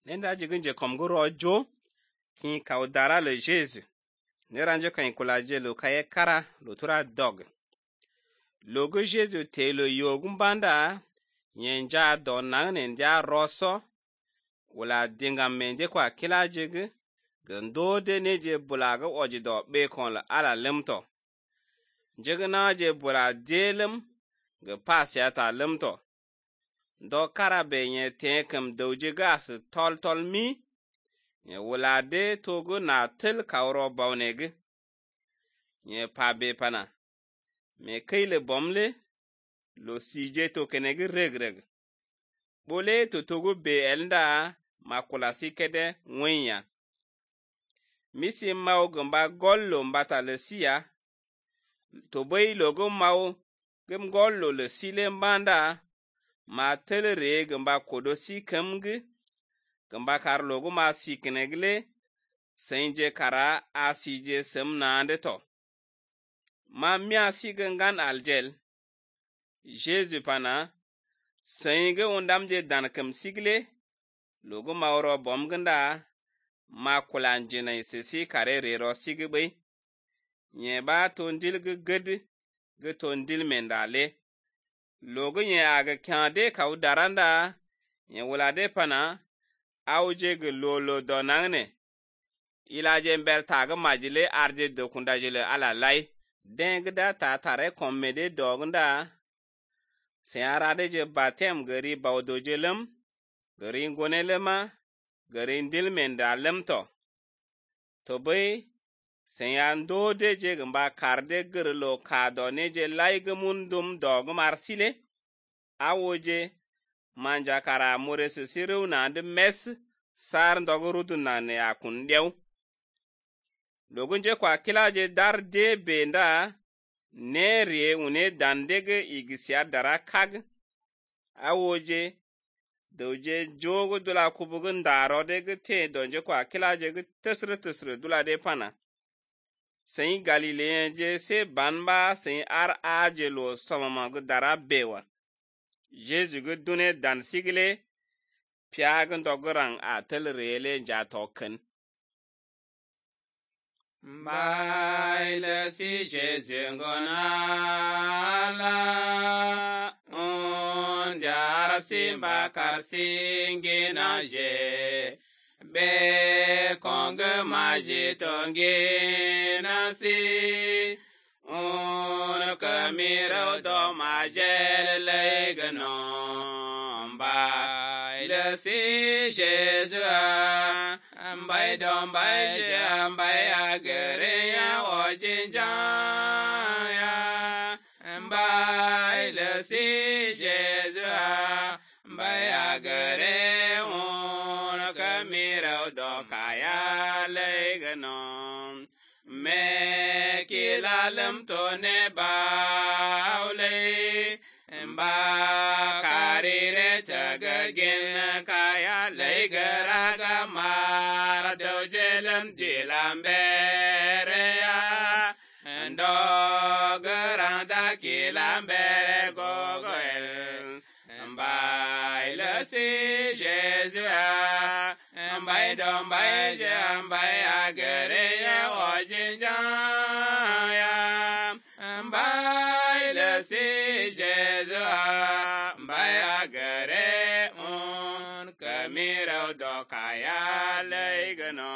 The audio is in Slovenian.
nenda jigin je kom go rojo kin kaudara le Jésus ne ranje kan kula je lo kaye kara lo tura dog lo go Jésus te lo yogum banda nyenja do nang ne ndia roso wala dingam mende kwa kila jigi gando de ne je bulaga ojido be kon la ala lemto jigina je bula delem ge pasya ta lemto do karabe nye tekem doji gas tol mi nye wala de togo na tel kauro bawnege nye pabe pana me kayle bomle lo sije to kenege regreg bole to togo be elnda makula sikede ngwenya misi mau gamba gollo mbata le siya to boy logo mau gem gollo le sile mbanda ma telere gamba kodo si kemge gamba kar logo ma si kenegle senje kara asije semnande to ma mia si gangan aljel Jésus pana senge undamje dan kem sigle logo ma oro bomganda ma kulanjine sisi kare rero sigbe nye ba tondil ged ge tondil mendale logo nye aga kyande kaudaranda nye wulade pana auje ge lolo donangne ilaje mbel taga majile arje dokundajile ala lai dengda ta tare kommede dogunda se arade je batem gari bawdojelem gari ngonelema gari ndilmenda lemto tobe se yando de je gamba karde gerlo kado ne je laige mundum dogum arsile awoje manja kara mores siru na de mes sar ndogorudu na ne akundew logunje kwa kilaje dar de benda nere une dandege igisia dara kag awoje doje jogo dula kubugun daro de te donje kwa kilaje ge tesre dula de pana sen Galileen je se banba sen ar ajelo somama ge dara bewa Jésus ge dune dan sigle piagan dogran a tel rele ja token Baile si Jésus ngonala on jara simba kar singina je be konge maji tongina si on kamiro do majel legnon baile si Jésus Mbai dom bai je mbai agere ya ojinja ya mbai le si Jésus mbai agere on kamira do kaya legnon me kilalem to ne baule mba karire tagagin kaya legaraga mara dojelem dilambere ya ndogaranda kilambere gogoel mba ilasi Jésus mba domba je mba agere ya ojinja ya mba ilasi Jésus mba agere on kamira do kaya legno